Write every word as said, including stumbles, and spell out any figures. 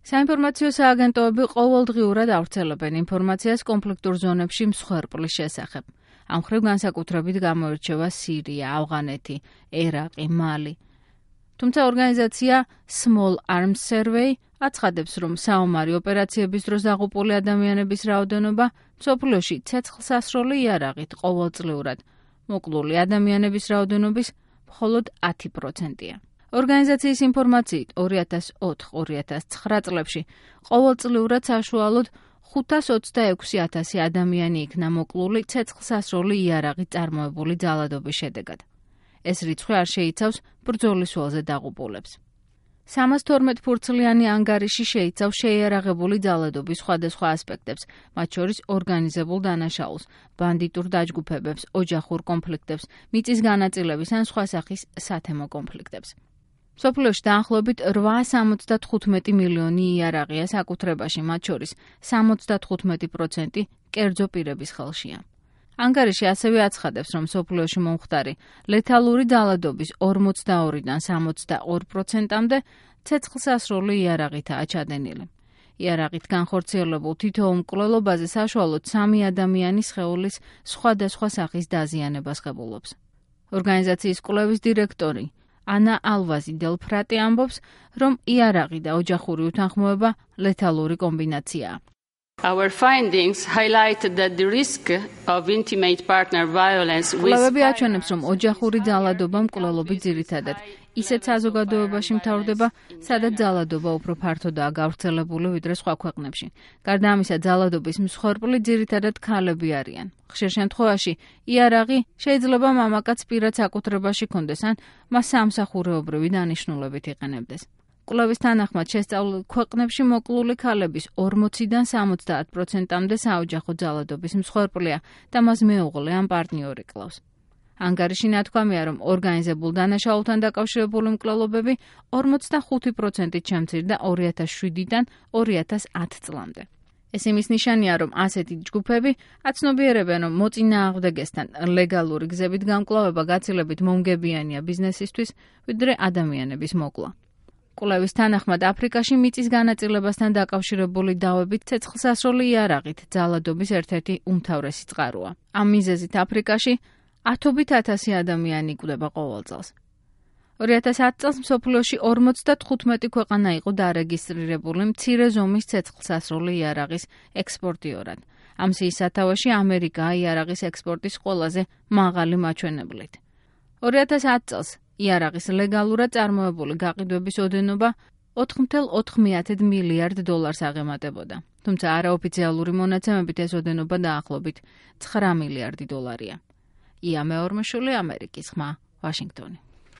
საინფორმაციო სააგენტოები ყოველდღიურად ავრცელებენ ინფორმაციას კონფლიქტურ ზონებში მსხვერპლის შესახებ. ამ მხრივ განსაკუთრებით გამოირჩევა სირია, ავღანეთი, ერაყი, მალი. თუმცა ორგანიზაცია Small Arms Survey აცხადებს, რომ საომარი ოპერაციების დროს დაღუპული ადამიანების რაოდენობა მსოფლიოში ცეცხლსასროლი იარაღით ყოველწლიურად, მოკლული ადამიანების რაოდენობის მხოლოდ ათი პროცენტია. ორგანიზაციის ინფორმაციით ორი ათას ოთხ ორი ათას ცხრა წლებში ყოველწლიურად საშუალოდ ხუთას ოცდაექვსი ათასი ადამიანი იქნა მოკლული ცეცხლსასროლი იარაღით წარმოებული ძალადობის შედეგად. ეს რიცხვი არ შეიცავს ბრძოლის ველზე დაღუპულებს. სამას თორმეტ ფურცლიანი ანგარიში შეიცავს შეიარაღებული ძალადობის სხვადასხვა ასპექტებს, მათ შორის ორგანიზებულ დანაშაულს, ბანდიტურ დაჯგუფებებს, ოჯახურ კონფლიქტებს, მიწის განაწილების ან სხვა სახის სათემო კონფლიქტებს. მსოფლიოში დაახლოებით რვაას ოცდათხუთმეტი მილიონი იარაღია საკუთრებაში, მათ შორის სამოცდათხუთმეტი პროცენტი კერძო პირების ხელშია. ანგარიში ასევე აცხადებს, რომ მსოფლიოში მომხდარი ლეთალური ძალადობის ორმოცდაორიდან სამოცდაორ პროცენტამდე ცეცხლსასროლი იარაღითაა ჩადენილი. იარაღით განხორციელებულ თითოეულ მკვლელობაზე საშუალოდ სამი ადამიანის სხეულის სხვადასხვა სახის დაზიანებას ღებულობს. ორგანიზაციის კვლევის დირექტორი ანა ალვაზი დელფრატი ამბობს, რომ იარაღი და ოჯახური უთანხმოება ლეთალური კომბინაციაა. Our findings highlight that the risk of intimate partner violence with კვლევები აჩვენებს, რომ ოჯახური ძალადობა მკვლელობით ძირითადად ისეთ საზოგადოებაში მთავრდება, სადაც ძალადობა უფრო ფართოდაა გავრცელებული ვიდრე სხვა ქვეყნებში. გარდა ამისა, ძალადობის მსხვერპლი ძირითადად ქალები არიან. ხშირ შემთხვევაში იარაღი შეიძლება მამაკაც პირად საკუთრებაში კონდეს ან მას სამსახურეობრივი დანიშნულებით იყენებდეს. კვლევის თანახმად შესწავლილ ქვეყნებში მოკლული ქალების ორმოციდან სამოცდაათ პროცენტამდე საოჯახო ძალადობის მსხვერპლია და მას მეუღლე ან პარტნიორი კლავს. ანგარიში ნათქვამია, რომ ორგანიზებულ დანაშაულთან დაკავშირებული მკვლელობები ორმოცდახუთი პროცენტით შემცირდა ორი ათას შვიდიდან ორი ათას ათ წლამდე. ეს იმის ნიშანია, რომ ასეთი ჯგუფები აცნობიერებენ, რომ მოწინააღმდეგესთან ლეგალური გზებით გამკლავება გაცილებით მომგებიანია ბიზნესისთვის, ვიდრე ადამიანების მოკლა. კვლევის თანახმად აფრიკაში მიწის განაწილებასთან დაკავშირებული დავებით ცეცხლსასროლი იარაღით ძალადობის ერთ-ერთი უმთავრესი წყაროა. ამ მიზეზით აფრიკაში ათობით ათასი ადამიანი იკვდება ყოველ წელს. ორი ათას ათ წელს მსოფლიოში ორმოცდათხუთმეტი ქვეყანა იყო დარეგისტრირებული მცირე ზომის ცეცხლსასროლი იარაღის ექსპორტიორად. ამ სიის სათავეში ამერიკაა იარაღის ექსპორტის ყველაზე მაღალი მაჩვენებლით. ორი ათას ათ წელს იარაღის ლეგალურად წარმოებული გაყიდვების ოდენობა ოთხ მცდარ ოთხ მილიარდ დოლარს აღემატებოდა. თუმცა არაოფიციალური მონაცემებით ეს ოდენობა დაახლოებით ცხრა მილიარდი დოლარია. ია მეორმეშვილი, ამერიკის ხმა, ვაშინგტონი.